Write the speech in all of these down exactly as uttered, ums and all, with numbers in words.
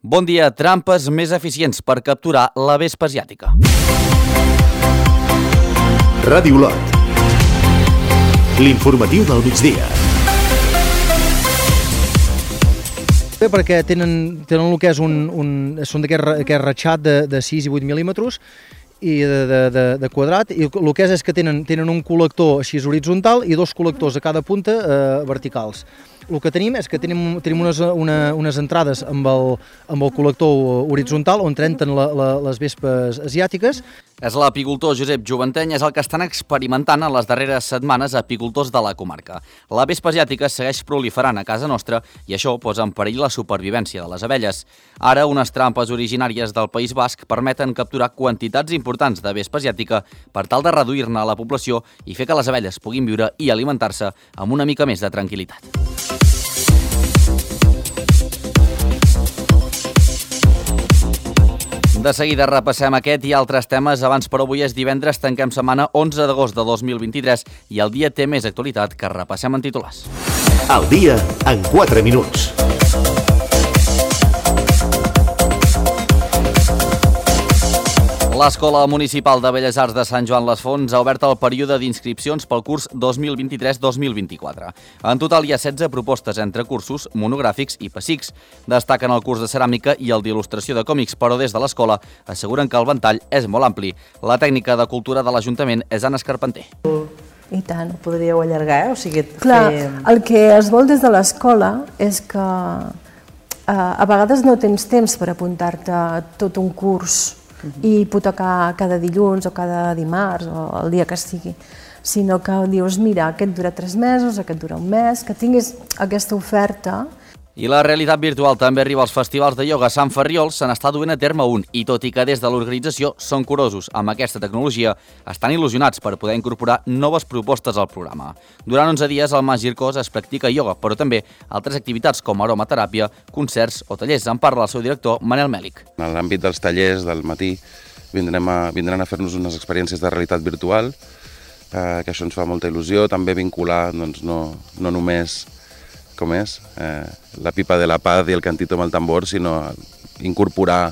Bon dia, trampes més eficients per capturar la vespa asiàtica. Ràdio Lot. L'informatiu del migdia. Bé, perquè tenen, tenen el que és un, un són d'aquest ratxat de, de sis i vuit mil·límetres i de, de, de, de quadrat, i el que és és que tenen, tenen un col·lector així horitzontal i dos col·lectors a cada punta eh, verticals. El que tenim és que tenim, tenim unes, una, unes entrades amb el, amb el col·lector horitzontal on trenten la, la, les vespes asiàtiques. És l'apicultor Josep Joventeny, és el que estan experimentant en les darreres setmanes apicultors de la comarca. La vespa asiàtica segueix proliferant a casa nostra i això posa en perill la supervivència de les abelles. Ara, unes trampes originàries del País Basc permeten capturar quantitats importants de vespa asiàtica per tal de reduir-ne la població i fer que les abelles puguin viure i alimentar-se amb una mica més de tranquil·litat. De seguida repassem aquest i altres temes. Abans, però, avui és divendres, tanquem setmana onze d'agost de dos mil vint-i-tres i el dia té més actualitat que repassem en titulars. El dia en quatre minuts. L'Escola Municipal de Belles Arts de Sant Joan les Fonts ha obert el període d'inscripcions pel curs dos mil vint-i-tres dos mil vint-i-quatre. En total hi ha setze propostes entre cursos, monogràfics i pessics. Destaquen el curs de ceràmica i el d'il·lustració de còmics, però des de l'escola asseguren que el ventall és molt ampli. La tècnica de cultura de l'Ajuntament és Anna Escarpenter. I tant, ho podríeu allargar, eh? O sigui... Clar, el que es vol des de l'escola és que eh, a vegades no tens temps per apuntar-te a tot un curs i hipotecar cada dilluns o cada dimarts o el dia que sigui, sinó que dius, mira, aquest dura tres mesos, aquest dura un mes, que tinguis aquesta oferta. I la realitat virtual també arriba als festivals de ioga. A Sant Ferriol se n'està duent a terme un i, tot i que des de l'organització són curosos amb aquesta tecnologia, estan il·lusionats per poder incorporar noves propostes al programa. Durant onze dies al Mas Gircós es practica ioga, però també altres activitats com aromateràpia, concerts o tallers. En parla el seu director, Manel Mèlic. En l'àmbit dels tallers del matí vindrem a, vindran a fer-nos unes experiències de realitat virtual, eh, que això ens fa molta il·lusió, també vincular doncs, no, no només com és, eh, la pipa de la paz i el cantito amb el tambor, sinó incorporar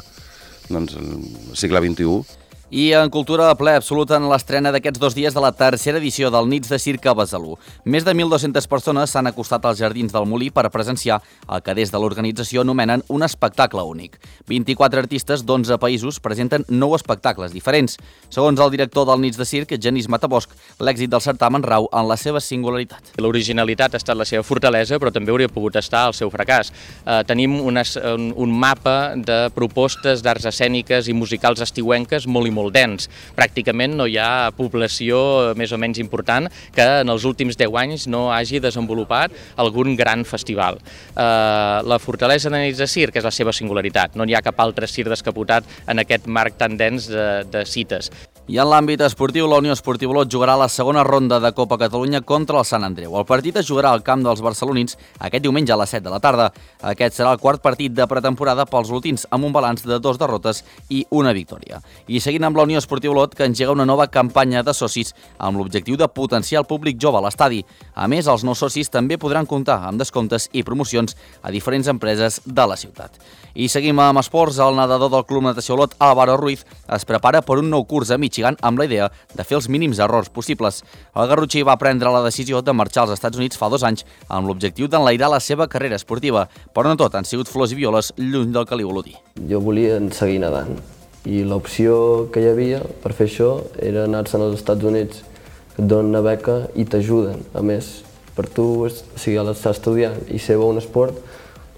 doncs, el segle vint-i-u. I en cultura, ple absolut en l'estrena d'aquests dos dies de la tercera edició del Nits de Circ a Besalú. Més de mil dues-centes persones s'han acostat als jardins del Molí per presenciar el que des de l'organització anomenen un espectacle únic. vint-i-quatre artistes d'onze països presenten nou espectacles diferents. Segons el director del Nits de Circ, Genís Matabosch, l'èxit del certamen rau en la seva singularitat. L'originalitat ha estat la seva fortalesa, però també hauria pogut estar el seu fracàs. Eh, tenim unes, un, un mapa de propostes d'arts escèniques i musicals estiuenques molt molt dens. Pràcticament no hi ha població més o menys important que en els últims deu anys no hagi desenvolupat algun gran festival. Eh, la fortalesa de Nits de Circ és la seva singularitat. No hi ha cap altre circ descapotat en aquest marc tan dens de, de cites. I en l'àmbit esportiu, la Unió Esportiva Olot jugarà la segona ronda de Copa Catalunya contra el Sant Andreu. El partit es jugarà al camp dels barcelonins aquest diumenge a les set de la tarda. Aquest serà el quart partit de pretemporada pels olotins, amb un balanç de dos derrotes i una victòria. I seguint amb la Unió Esportiva Olot, que engega una nova campanya de socis amb l'objectiu de potenciar el públic jove a l'estadi. A més, els nous socis també podran comptar amb descomptes i promocions a diferents empreses de la ciutat. I seguim amb esports. El nedador del Club Natació Olot, Álvaro Ruiz, es prepara per un nou curs a Michigan amb la idea de fer els mínims errors possibles. El garrotxí va prendre la decisió de marxar als Estats Units fa dos anys amb l'objectiu d'enlairar la seva carrera esportiva, però no tot han sigut flors i violes lluny del caliu olotí. Jo volia seguir nedant i l'opció que hi havia per fer això era anar-se'n als Estats Units, que et donen una beca i t'ajuden. A més, per tu, o sigui, a l'estar estudiant i ser bo un esport,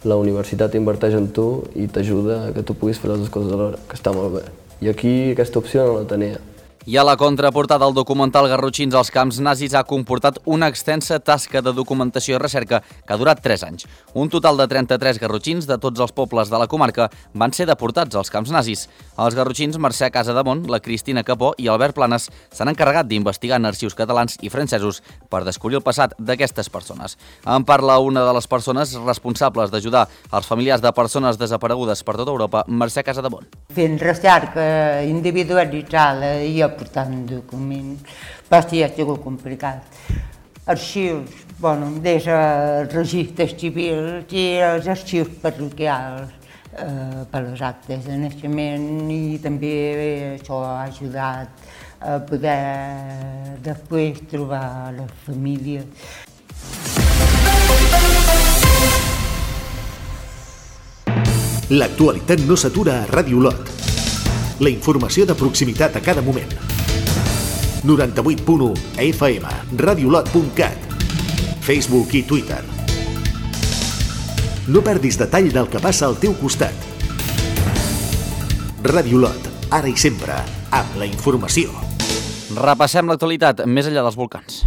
la universitat inverteix en tu i t'ajuda a que tu puguis fer les dues coses alhora, que està molt bé. I aquí aquesta opció no la tenia. I a la contraportada del documental Garrotxins als camps nazis ha comportat una extensa tasca de documentació i recerca que ha durat tres anys. Un total de trenta-tres garrotxins de tots els pobles de la comarca van ser deportats als camps nazis. Els garrotxins Mercè Casademont, la Cristina Capó i Albert Planes s'han encarregat d'investigar en arxius catalans i francesos per descobrir el passat d'aquestes persones. En parla una de les persones responsables d'ajudar els familiars de persones desaparegudes per tota Europa, Mercè Casademont. Fent recerca individualitzada i aportant documents, va ser ha sigut complicat. Arxius, bueno, des dels registres civils i els arxius parroquials, eh, per les actes de naixement i també això ha ajudat a poder després trobar la família. L'actualitat no s'atura a Ràdio Olot. La informació de proximitat a cada moment. noranta-vuit punt u F M, radiolot punt cat, Facebook i Twitter. No perdis detall del que passa al teu costat. Ràdio Olot, ara i sempre, amb la informació. Repassem l'actualitat més enllà dels volcans.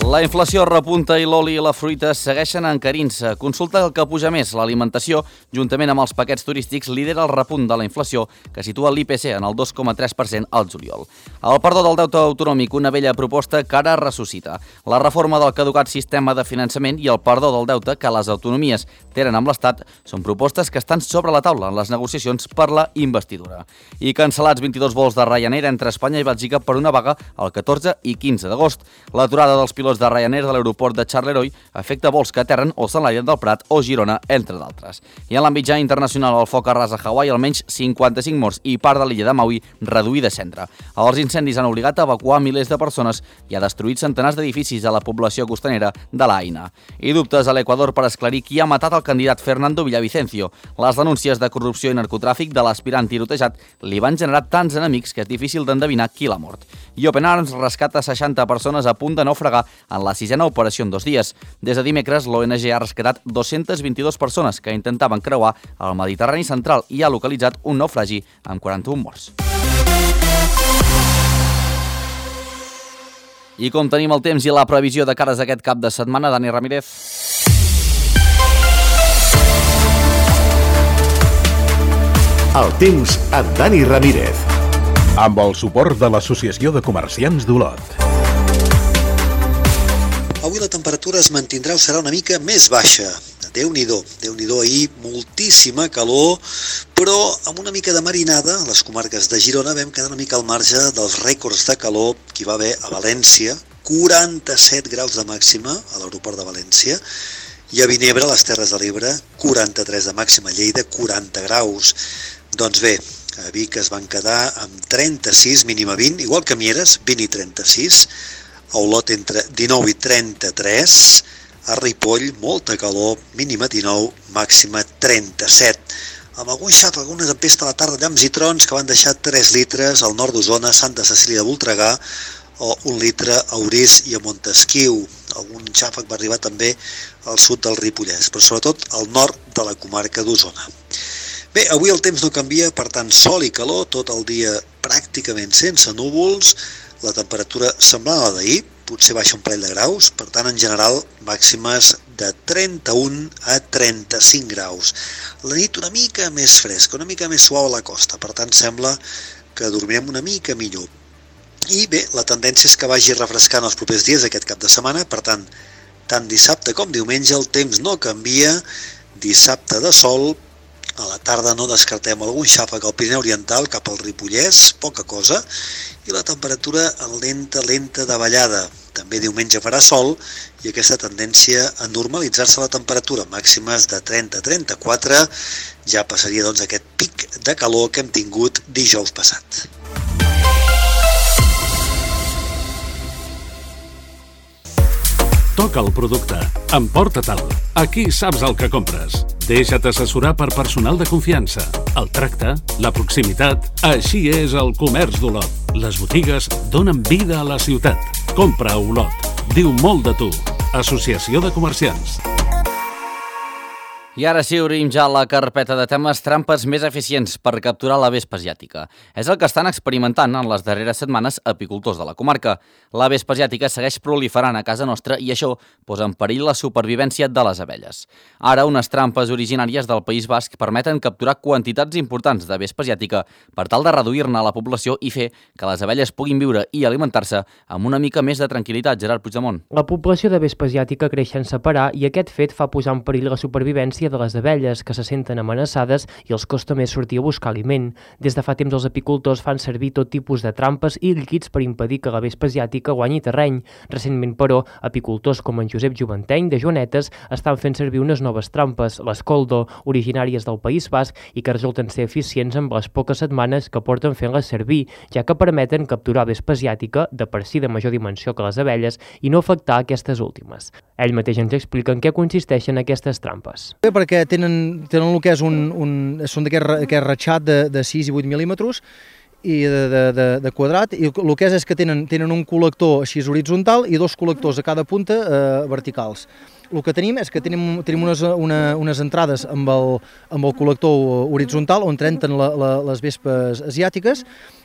La inflació repunta i l'oli i la fruita segueixen encarint-se. Consulta el que puja més. L'alimentació, juntament amb els paquets turístics, lidera el repunt de la inflació, que situa l'I P C en el dos coma tres per cent al juliol. El perdó del deute autonòmic, una vella proposta que ara ressuscita. La reforma del caducat sistema de finançament i el perdó del deute que les autonomies tenen amb l'Estat són propostes que estan sobre la taula en les negociacions per la investidura. I cancel·lats vint-i-dos vols de Ryanair entre Espanya i Bèlgica per una vaga el catorze i quinze d'agost. L'aturada dels pilots de Ryanair de l'aeroport de Charleroi afecta vols que aterren o s'enlairen del Prat o Girona, entre d'altres. I en l'àmbit ja internacional, el foc arrasa a Hawaii, almenys cinquanta-cinc morts i part de l'illa de Maui reduïda a cendra. Els incendis han obligat a evacuar milers de persones i ha destruït centenars d'edificis a la població costanera de l'Aina. I dubtes a l'Equador per esclarir qui ha matat el candidat Fernando Villavicencio. Les denúncies de corrupció i narcotràfic de l'aspirant tirotejat li van generar tants enemics que és difícil d'endevinar qui l'ha mort. I Open Arms rescata seixanta persones a punt de naufragar en la sisena operació en dos dies. Des de dimecres, l'O N G ha rescatat dues-centes vint-i-dues persones que intentaven creuar el Mediterrani central i ha localitzat un naufragi amb quaranta-un morts. I com tenim el temps i la previsió de cares aquest cap de setmana, Dani Ramírez. El temps amb Dani Ramírez. Amb el suport de l'Associació de Comerciants d'Olot. Avui la temperatura es mantindrà o serà una mica més baixa. Déu-n'hi-do, Déu-n'hi-do ahir, moltíssima calor, però amb una mica de marinada, a les comarques de Girona vam quedar una mica al marge dels rècords de calor que hi va haver a València, quaranta-set graus de màxima a l'aeroport de València, i a Vinebre, a les Terres de l'Ebre, quaranta-tres de màxima, a Lleida, quaranta graus. Doncs bé, a Vic es van quedar amb trenta-sis, mínima vint, igual que a Mieres, vint i trenta-sis, a Olot entre dinou i trenta-tres, a Ripoll, molta calor, mínima dinou, màxima trenta-set. Amb algun xàfec, alguna tempesta a la tarda, llamps i trons que van deixar tres litres al nord d'Osona, Santa Cecília de Voltregà, o un litre a Orís i a Montesquiu. Algun xàfec va arribar també al sud del Ripollès, però sobretot al nord de la comarca d'Osona. Bé, avui el temps no canvia, per tant, sol i calor, tot el dia pràcticament sense núvols, la temperatura semblant a la d'ahir, potser baixa un parell de graus, per tant, en general, màximes de trenta-un a trenta-cinc graus. La nit una mica més fresca, una mica més suau a la costa, per tant, sembla que dormirem una mica millor. I bé, la tendència és que vagi refrescant els propers dies aquest cap de setmana, per tant, tant dissabte com diumenge el temps no canvia, dissabte de sol, a la tarda no descartem algun xàfec al Pirineu Oriental cap al Ripollès, poca cosa, i la temperatura lenta, lenta de ballada. També diumenge farà sol i aquesta tendència a normalitzar-se la temperatura, màximes de trenta a trenta-quatre, ja passaria doncs aquest pic de calor que hem tingut dijous passat. Toca el producte, emporta-te'l. Aquí saps el que compres. Deixa't assessorar per personal de confiança. El tracte, la proximitat, així és el comerç d'Olot. Les botigues donen vida a la ciutat. Compra a Olot. Diu molt de tu. Associació de Comerciants. I ara sí, obrim ja la carpeta de temes trampes més eficients per capturar la vespa asiàtica. És el que estan experimentant en les darreres setmanes apicultors de la comarca. La vespa asiàtica segueix proliferant a casa nostra i això posa en perill la supervivència de les abelles. Ara, unes trampes originàries del País Basc permeten capturar quantitats importants de vespa asiàtica per tal de reduir-ne la població i fer que les abelles puguin viure i alimentar-se amb una mica més de tranquil·litat. Gerard Puigdemont. La població de vespa asiàtica creix sense parar i aquest fet fa posar en perill la supervivència l'existència de les abelles que se senten amenaçades i els costa més sortir a buscar aliment. Des de fa temps els apicultors fan servir tot tipus de trampes i líquids per impedir que la vespa asiàtica guanyi terreny. Recentment, però, apicultors com en Josep Juventeny, de Joanetes, estan fent servir unes noves trampes, les Coldo, originàries del País Basc i que resulten ser eficients amb les poques setmanes que porten fent-les servir, ja que permeten capturar vespa asiàtica, de per si de major dimensió que les abelles, i no afectar aquestes últimes. Ell mateix ens explica en què consisteixen aquestes trampes. Bé, perquè tenen, tenen el que és un, un, són d'aquest ratxat de, de sis i vuit mil·límetres i de, de, de, de quadrat, i el que és és que tenen, tenen un col·lector així horitzontal i dos col·lectors a cada punta eh, verticals. El que tenim és que tenim, tenim unes, una, unes entrades amb el, amb el col·lector horitzontal on entren la, la, les vespes asiàtiques,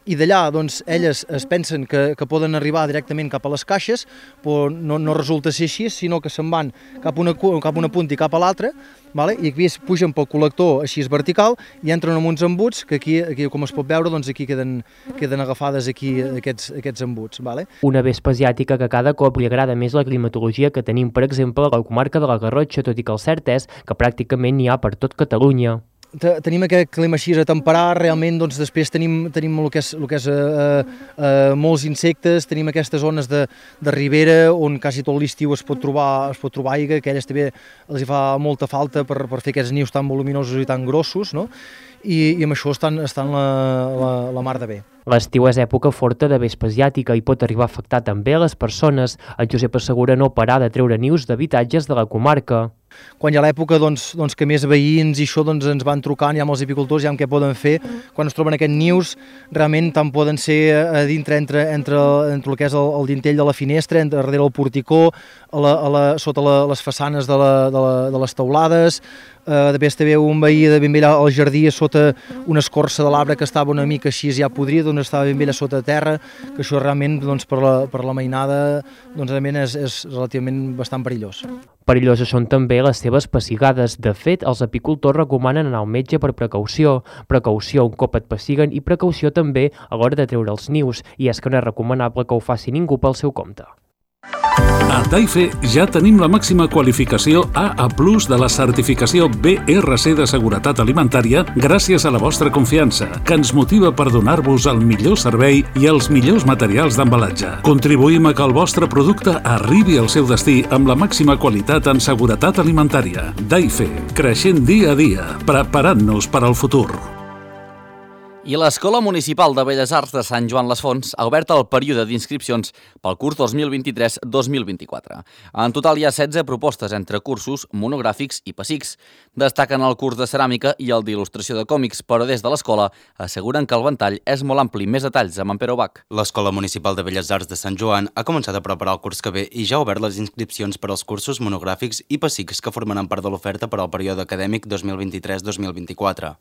i d'allà doncs, elles es pensen que, que poden arribar directament cap a les caixes, però no, no resulta ser així, sinó que se'n van cap a una, cap a una punta i cap a l'altra, vale? I aquí es pugen pel col·lector així vertical i entren en uns embuts que aquí, aquí com es pot veure, doncs aquí queden, queden agafades aquí aquests, aquests embuts. Vale? Una vespa asiàtica que cada cop li agrada més la climatologia que tenim, per exemple, a la comarca de la Garrotxa, tot i que el cert és que pràcticament n'hi ha per tot Catalunya. Tenim aquest clima així a temperar, realment doncs, després tenim, tenim el que és, el que és eh, eh, molts insectes, tenim aquestes zones de, de ribera on quasi tot l'estiu es pot trobar es pot trobar aigua, que a elles també els hi fa molta falta per, per fer aquests nius tan voluminosos i tan grossos, no? I, i amb això estan, estan la, la, la mar de bé. L'estiu és època forta de vespa asiàtica i pot arribar a afectar també a les persones. El Josep assegura no parar de treure nius d'habitatges de la comarca. Quan hi ha l'època doncs, doncs, que més veïns i això doncs, ens van trucant, ja amb els apicultors, ja amb què poden fer, quan es troben aquests nius, realment tant poden ser a dintre, entre, entre, entre el que és el, el dintell de la finestra, entre, darrere el porticó, a la, a la, sota la, les façanes de, la, de, la, de les teulades. Uh, després també un veí de ben vella al jardí sota una escorça de l'arbre que estava una mica així ja podrida, on estava ben vella sota terra, que això realment doncs, per, la, per la mainada doncs, realment és, és relativament bastant perillós. Perilloses són també les seves pessigades. De fet, els apicultors recomanen anar al metge per precaució. Precaució un cop et pessiguen i precaució també a l'hora de treure els nius, i és que no és recomanable que ho faci ningú pel seu compte. A Taife ja tenim la màxima qualificació A A plus de la certificació B R C de seguretat alimentària gràcies a la vostra confiança, que ens motiva per donar-vos el millor servei i els millors materials d'embalatge. Contribuïm a que el vostre producte arribi al seu destí amb la màxima qualitat en seguretat alimentària. Taife, creixent dia a dia, preparant-nos per al futur. I l'Escola Municipal de Belles Arts de Sant Joan les Fonts ha obert el període d'inscripcions pel curs dos mil vint-i-tres dos mil vint-i-quatre. En total hi ha setze propostes entre cursos, monogràfics i pessics. Destaquen el curs de ceràmica i el d'il·lustració de còmics, però des de l'escola asseguren que el ventall és molt ampli. Més detalls amb en Pere Bach. L'Escola Municipal de Belles Arts de Sant Joan ha començat a preparar el curs que ve i ja ha obert les inscripcions per als cursos, monogràfics i pessics que formaran part de l'oferta per al període acadèmic dos mil vint-i-tres dos mil vint-i-quatre.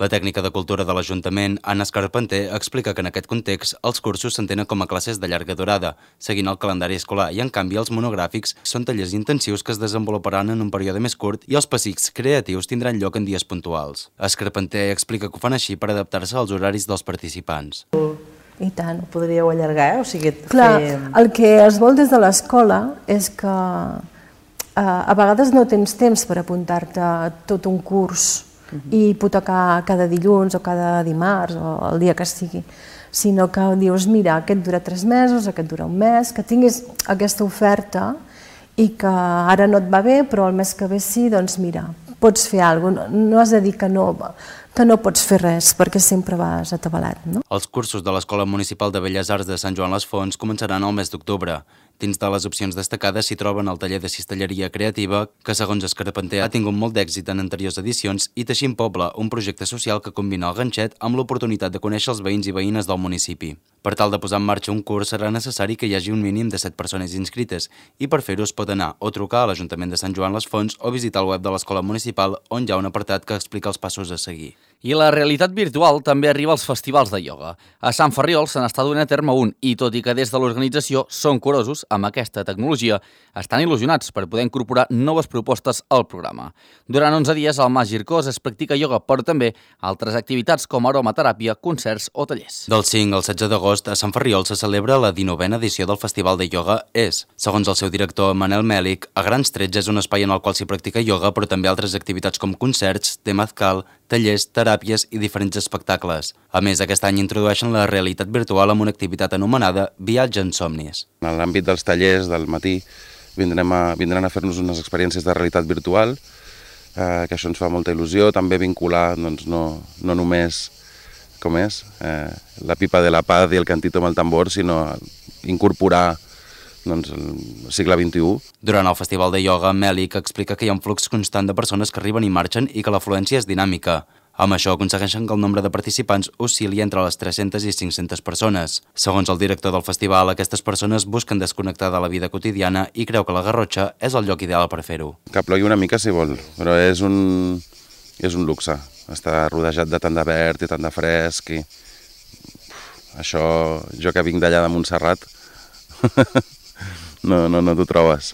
La tècnica de cultura de l'Ajuntament, Anna Escarpenter, explica que en aquest context els cursos s'entenen com a classes de llarga durada, seguint el calendari escolar, i en canvi els monogràfics són tallers intensius que es desenvoluparan en un període més curt i els pessics creatius tindran lloc en dies puntuals. Escarpenter explica que ho fan així per adaptar-se als horaris dels participants. I tant, ho podríeu allargar, eh? O sigui, Clar, fer... el que es vol des de l'escola és que eh, a vegades no tens temps per apuntar-te a tot un curs i hipotecar cada dilluns o cada dimarts o el dia que sigui, sinó que dius, mira, aquest dura tres mesos, aquest dura un mes, que tinguis aquesta oferta i que ara no et va bé, però el mes que ve sí, doncs mira, pots fer alguna cosa, no has de dir que no, que no pots fer res, perquè sempre vas atabalat, no? Els cursos de l'Escola Municipal de Belles Arts de Sant Joan les Fonts començaran el mes d'octubre. Dins de les opcions destacades s'hi troben el taller de cistelleria creativa, que segons Escarpenter ha tingut molt d'èxit en anteriors edicions, i Teixint Poble, un projecte social que combina el ganxet amb l'oportunitat de conèixer els veïns i veïnes del municipi. Per tal de posar en marxa un curs serà necessari que hi hagi un mínim de set persones inscrites, i per fer-ho es pot anar o trucar a l'Ajuntament de Sant Joan les Fonts o visitar el web de l'Escola Municipal, on hi ha un apartat que explica els passos a seguir. I la realitat virtual també arriba als festivals de ioga. A Sant Ferriol se n'està donant a terme un i, tot i que des de l'organització són curosos amb aquesta tecnologia, estan il·lusionats per poder incorporar noves propostes al programa. Durant onze dies al Mas Gircós es practica ioga, però també altres activitats com aromateràpia, concerts o tallers. Del cinc al setze d'agost a Sant Ferriol se celebra la dinovena edició del Festival de Ioga És. Segons el seu director, Manel Mèlic, a grans trets és un espai en el qual s'hi practica ioga, però també altres activitats com concerts, temazcal, tallers, teràpies i diferents espectacles. A més, aquest any introdueixen la realitat virtual amb una activitat anomenada Viatge en somnis. En l'àmbit dels tallers del matí vindrem a, vindran a fer-nos unes experiències de realitat virtual, eh, que això ens fa molta il·lusió, també vincular doncs, no, no només com és, eh, la pipa de la paz i el cantito amb el tambor, sinó incorporar doncs, el segle vint-i-u. Durant el Festival de Ioga, Mèlic explica que hi ha un flux constant de persones que arriben i marxen i que l'afluència és dinàmica. Amb això aconsegueixen que el nombre de participants oscil·li entre les tres-centes i cinc-centes persones. Segons el director del festival, aquestes persones busquen desconnectar de la vida quotidiana i creu que la Garrotxa és el lloc ideal per fer-ho. Que plogui una mica si vol, però és un, és un luxe. Està rodejat de tant de verd i tant de fresc. I... Això, jo que vinc d'allà de Montserrat, no, no, no t'ho trobes.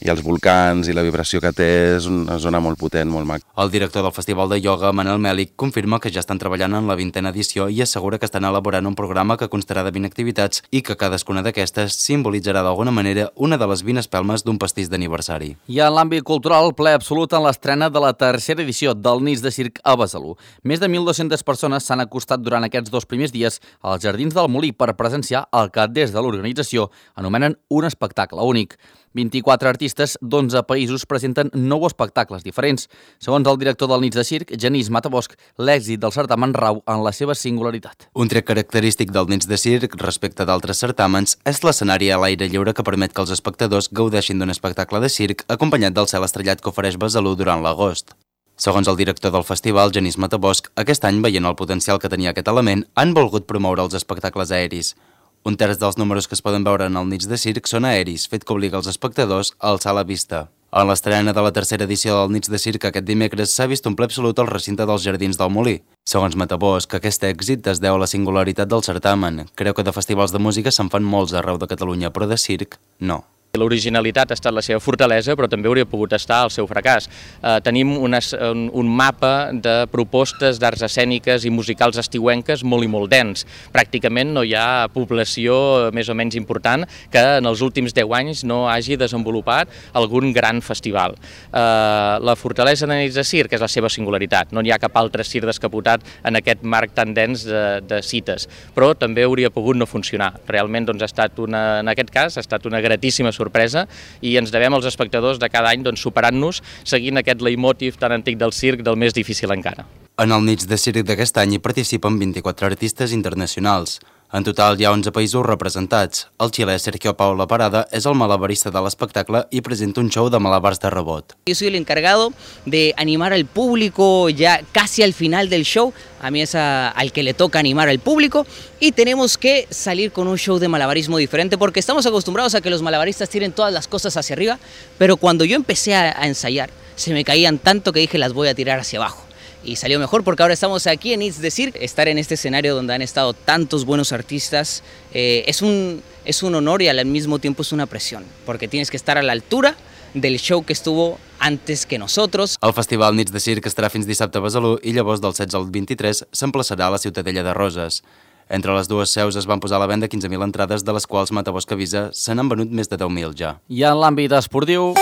I els volcans i la vibració que té és una zona molt potent, molt maca. El director del Festival de Ioga, Manel Mèlic, confirma que ja estan treballant en la vintena edició i assegura que estan elaborant un programa que constarà de vint activitats i que cadascuna d'aquestes simbolitzarà d'alguna manera una de les vint espelmes d'un pastís d'aniversari. I en l'àmbit cultural, ple absolut en l'estrena de la tercera edició del Nits de Circ a Besalú. Més de mil dues-centes persones s'han acostat durant aquests dos primers dies als Jardins del Molí per presenciar el que des de l'organització anomenen un espectacle únic. vint-i-quatre artistes d'onze països presenten nou espectacles diferents. Segons el director del Nits de Circ, Genís Matabosc, l'èxit del certamen rau en la seva singularitat. Un tret característic del Nits de Circ respecte d'altres certàmens és l'escenari a l'aire lliure que permet que els espectadors gaudeixin d'un espectacle de circ acompanyat del cel estrellat que ofereix Besalú durant l'agost. Segons el director del festival, Genís Matabosc, aquest any, veient el potencial que tenia aquest element, han volgut promoure els espectacles aeris. Un terç dels números que es poden veure en el Nits de Circ són aeris, fet que obliga els espectadors a alçar la vista. En l'estrena de la tercera edició del Nits de Circ aquest dimecres s'ha vist un ple absolut al recinte dels Jardins del Molí. Segons Matabosc, aquest èxit es deu a la singularitat del certamen. Creu que de festivals de música se'n fan molts arreu de Catalunya, però de circ, no. L'originalitat ha estat la seva fortalesa, però també hauria pogut estar el seu fracàs. Eh, tenim unes, un, un mapa de propostes d'arts escèniques i musicals estiuenques molt i molt dens. Pràcticament no hi ha població més o menys important que en els últims deu anys no hagi desenvolupat algun gran festival. Eh, la fortalesa de Nits de Circ és la seva singularitat. No hi ha cap altre circ descapotat en aquest marc tan dens de, de cites, però també hauria pogut no funcionar. Realment, doncs, ha estat una, en aquest cas, ha estat una gratíssima sorpresa i ens devem als espectadors de cada any doncs, superant-nos seguint aquest leitmotiv tan antic del circ del més difícil encara. En el Nits de Circ d'aquest any hi participen vint-i-quatre artistes internacionals. En total hi ha onze països representats. El xilè Sergio Paula Parada és el malabarista de l'espectacle i presenta un show de malabars de robot. Yo soy el encargado de animar al público ya casi al final del show. A mí es a, al que le toca animar al público y tenemos que salir con un show de malabarismo diferente porque estamos acostumbrados a que los malabaristas tiren todas las cosas hacia arriba, pero cuando yo empecé a, a ensayar se me caían tanto que dije las voy a tirar hacia abajo. Y salió mejor porque ahora estamos aquí en Nits de Circ. Estar en este escenario donde han estado tantos buenos artistas eh, es, un, es un honor y al mismo tiempo es una presión, porque tienes que estar a la altura del show que estuvo antes que nosotros. El Festival Nits de Circ estarà fins dissabte a Besalú i llavors del setze al vint-i-tres s'emplaçarà a la Ciutadella de Roses. Entre les dues seus es van posar a la venda quinze mil entrades, de les quals Matabosc avisa se n'han venut més de deu mil ja. I en l'àmbit esportiu...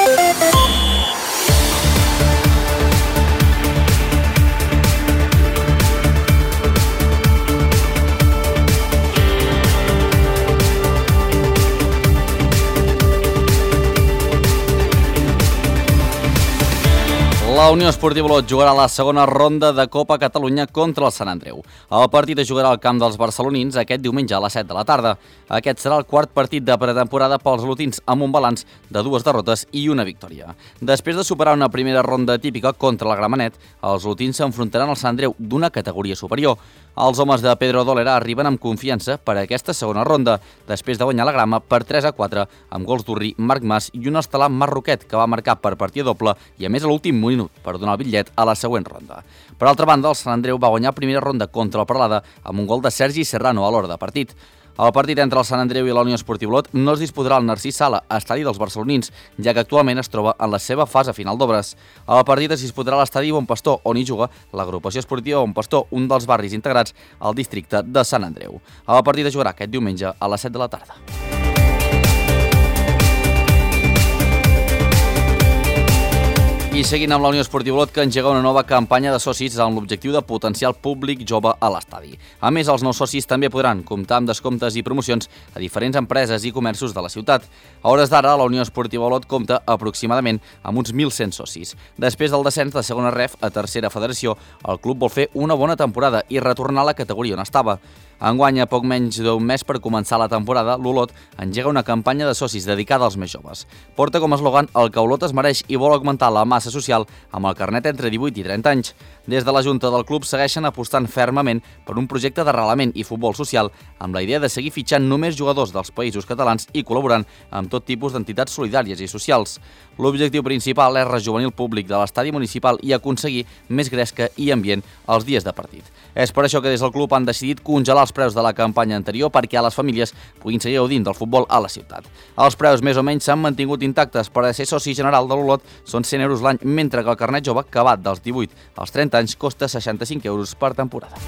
La Unió Esportiva Olot jugarà la segona ronda de Copa Catalunya contra el Sant Andreu. El partit es jugarà al camp dels barcelonins aquest diumenge a les set de la tarda. Aquest serà el quart partit de pretemporada pels olotins amb un balanç de dues derrotes i una victòria. Després de superar una primera ronda típica contra la Gramenet, els olotins s'enfrontaran al Sant Andreu d'una categoria superior. Els homes de Pedro Dolera arriben amb confiança per a aquesta segona ronda, després de guanyar la grama per tres a quatre, amb gols d'Urri, Marc Mas i un estelà Marroquet, que va marcar per partida doble i a més a l'últim minut per donar el bitllet a la següent ronda. Per altra banda, el Sant Andreu va guanyar primera ronda contra el Peralada amb un gol de Sergi Serrano a l'hora de partit. El partit entre el Sant Andreu i la Unió Esportiva Olot no es disputarà al Narcís Sala, estadi dels barcelonins, ja que actualment es troba en la seva fase final d'obres. El partit es disputarà a l'estadi Bon Pastor, on hi juga l'agrupació esportiva Bon Pastor, un dels barris integrats al districte de Sant Andreu. El partit es jugarà aquest diumenge a les set de la tarda. I seguint amb la Unió Esportiva Olot, que engega una nova campanya de socis amb l'objectiu de potenciar el públic jove a l'estadi. A més, els nous socis també podran comptar amb descomptes i promocions a diferents empreses i comerços de la ciutat. A hores d'ara, la Unió Esportiva Olot compta aproximadament amb uns mil cent socis. Després del descens de segona ref a tercera federació, el club vol fer una bona temporada i retornar a la categoria on estava. Enguany, a poc menys d'un mes per començar la temporada, l'Olot engega una campanya de socis dedicada als més joves. Porta com a eslògan el que Olot es mereix i vol augmentar la massa social amb el carnet entre divuit i trenta anys. Des de la Junta del club segueixen apostant fermament per un projecte d'arrelament i futbol social amb la idea de seguir fitxant només jugadors dels països catalans i col·laborant amb tot tipus d'entitats solidàries i socials. L'objectiu principal és rejovenir el públic de l'estadi municipal i aconseguir més gresca i ambient als dies de partit. És per això que des del club han decidit congelar els preus de la campanya anterior perquè a les famílies puguin seguir gaudint del futbol a la ciutat. Els preus més o menys s'han mantingut intactes. Per a ser soci general de l'Olot són cent euros l'any, mentre que el carnet jove, que va dels divuit als trenta anys, costa seixanta-cinc euros per temporada.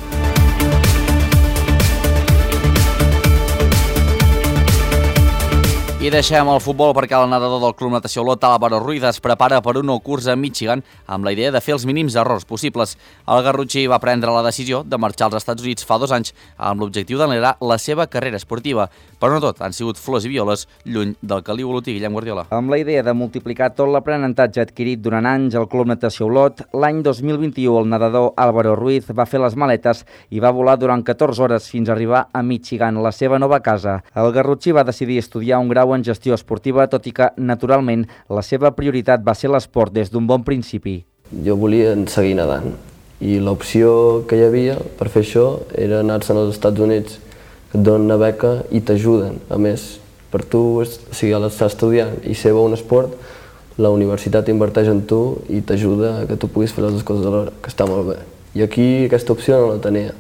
I deixem el futbol perquè el nedador del Club Natació Olot, Álvaro Ruiz, es prepara per un nou curs a Michigan amb la idea de fer els mínims errors possibles. El garrotxí va prendre la decisió de marxar als Estats Units fa dos anys amb l'objectiu d'accelerar la seva carrera esportiva. Però no tot han sigut flors i violes lluny del caliu olotí. Guillem Guardiola. Amb la idea de multiplicar tot l'aprenentatge adquirit durant anys al Club Natació Olot, l'any dos mil vint-i-u el nedador Álvaro Ruiz va fer les maletes i va volar durant catorze hores fins a arribar a Michigan, la seva nova casa. El garrotxí va decidir estudiar un grau en gestió esportiva, tot i que, naturalment, la seva prioritat va ser l'esport des d'un bon principi. Jo volia seguir nedant i l'opció que hi havia per fer això era anar-se'n als Estats Units, que et donen una beca i t'ajuden. A més, per tu, o sigui, a l'estar estudiant i ser bo un esport, la universitat inverteix en tu i t'ajuda a que tu puguis fer les dues coses alhora, que està molt bé. I aquí aquesta opció no la tenia.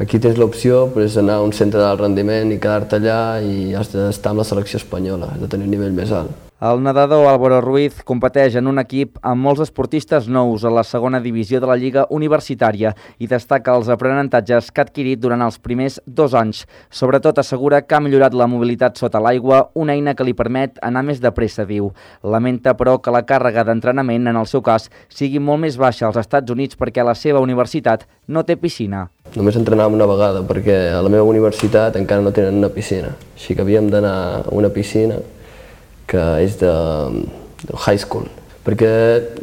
Aquí tens l'opció d'anar a un centre d'alt rendiment i quedar-te allà i has d'estar amb la selecció espanyola, has de tenir un nivell més alt. El nedador Álvaro Ruiz competeix en un equip amb molts esportistes nous a la segona divisió de la Lliga Universitària i destaca els aprenentatges que ha adquirit durant els primers dos anys. Sobretot assegura que ha millorat la mobilitat sota l'aigua, una eina que li permet anar més de pressa, diu. Lamenta, però, que la càrrega d'entrenament, en el seu cas, sigui molt més baixa als Estats Units perquè la seva universitat no té piscina. Només entrenàvem una vegada perquè a la meva universitat encara no tenen una piscina. Així que havíem d'anar a una piscina que és de, de high school, perquè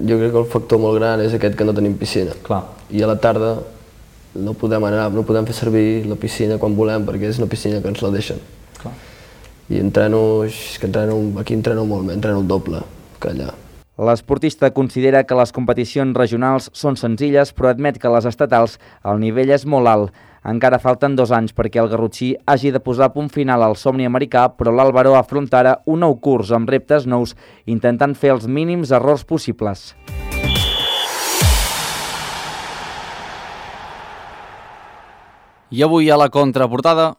jo crec que el factor molt gran és aquest que no tenim piscina. Clar. I a la tarda no podem anar, no podem fer servir la piscina quan volem perquè és una piscina que ens la deixen. Clar. I entreno, que entreno, aquí entreno molt, entreno el doble que allà. L'esportista considera que les competicions regionals són senzilles, però admet que les estatals el nivell és molt alt. Encara falten dos anys perquè el garrotxí hagi de posar punt final al somni americà, però l'Álvaro afronta ara un nou curs amb reptes nous, intentant fer els mínims errors possibles. I avui a la contraportada...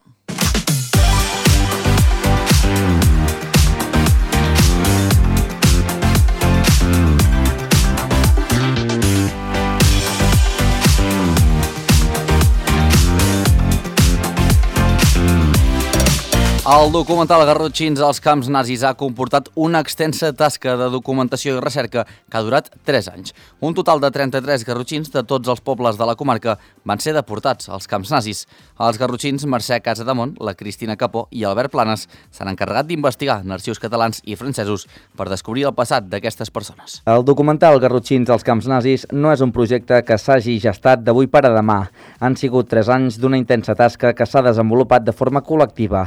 El documental Garrotxins als camps nazis ha comportat una extensa tasca de documentació i recerca que ha durat tres anys. Un total de trenta-tres garrotxins de tots els pobles de la comarca van ser deportats als camps nazis. Els garrotxins Mercè Casademont, la Cristina Capó i Albert Planes s'han encarregat d'investigar en arxius catalans i francesos per descobrir el passat d'aquestes persones. El documental Garrotxins als camps nazis no és un projecte que s'hagi gestat d'avui per a demà. Han sigut tres anys d'una intensa tasca que s'ha desenvolupat de forma col·lectiva.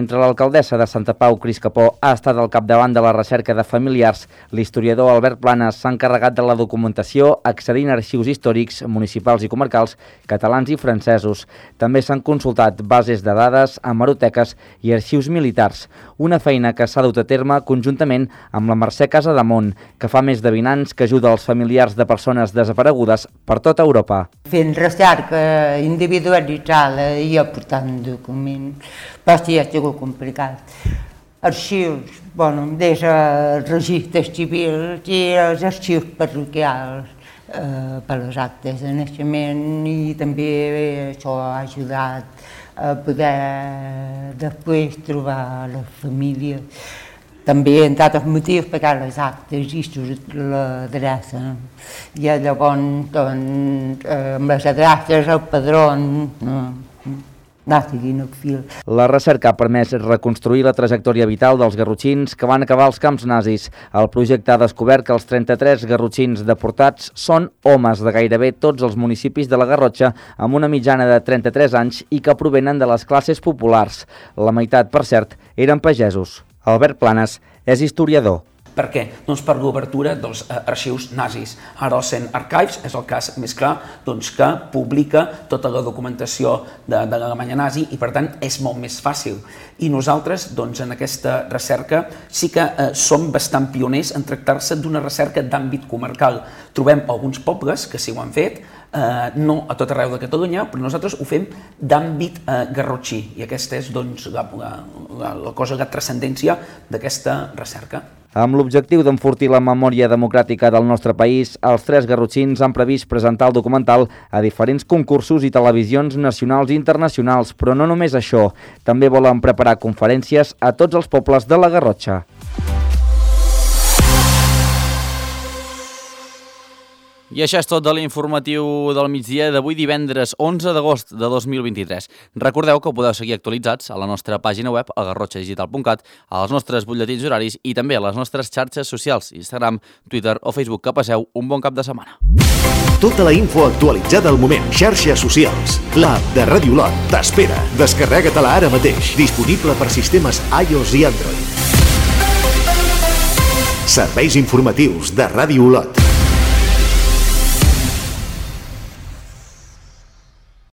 Mentre l'alcaldessa de Santa Pau, Cris Capó, ha estat al capdavant de la recerca de familiars, l'historiador Albert Planes s'ha encarregat de la documentació accedint a arxius històrics, municipals i comarcals catalans i francesos. També s'han consultat bases de dades, hemeroteques i arxius militars, una feina que s'ha dut a terme conjuntament amb la Mercè Casademont, que fa més de vint anys que ajuda els familiars de persones desaparegudes per tota Europa. Fent recerca individualitzada i aportant documents, però sí, ha sigut complicat. Arxius, bueno, des dels registres civils i els arxius parroquials eh, per les actes de naixement, i també això ha ajudat a poder després trobar la família. També, entre altres motius, perquè les actes i surt l'adreça. I llavors, doncs, amb les adreces, el padró, no, no siguin el fil. La recerca ha permès reconstruir la trajectòria vital dels garrotxins que van acabar als camps nazis. El projecte ha descobert que els trenta-tres garrotxins deportats són homes de gairebé tots els municipis de la Garrotxa, amb una mitjana de trenta-tres anys i que provenen de les classes populars. La meitat, per cert, eren pagesos. Albert Planes és historiador. Per què? Doncs per l'obertura dels arxius nazis. Ara el Cent Archives és el cas més clar doncs, que publica tota la documentació de, de l'Alemanya nazi i per tant és molt més fàcil. I nosaltres doncs, en aquesta recerca sí que eh, som bastant pioners en tractar-se d'una recerca d'àmbit comarcal. Trobem alguns pobles que sí ho han fet, eh, no a tot arreu de Catalunya, però nosaltres ho fem d'àmbit eh, garrotxí i aquesta és doncs, la, la, la, la cosa, la transcendència d'aquesta recerca. Amb l'objectiu d'enfortir la memòria democràtica del nostre país, els tres garrotxins han previst presentar el documental a diferents concursos i televisions nacionals i internacionals, però no només això, també volen preparar conferències a tots els pobles de la Garrotxa. I això és tot de l'informatiu del migdia d'avui divendres onze d'agost de dos mil vint-i-tres. Recordeu que podeu seguir actualitzats a la nostra pàgina web, a garrotxa digital punt cat, als nostres butlletins horaris i també a les nostres xarxes socials, Instagram, Twitter o Facebook. Que passeu un bon cap de setmana. Tota la info actualitzada al moment. Xarxes socials. L'app de Ràdio Olot t'espera. Descarrega-te-la ara mateix. Disponible per sistemes iOS i Android. Serveis informatius de Ràdio Olot.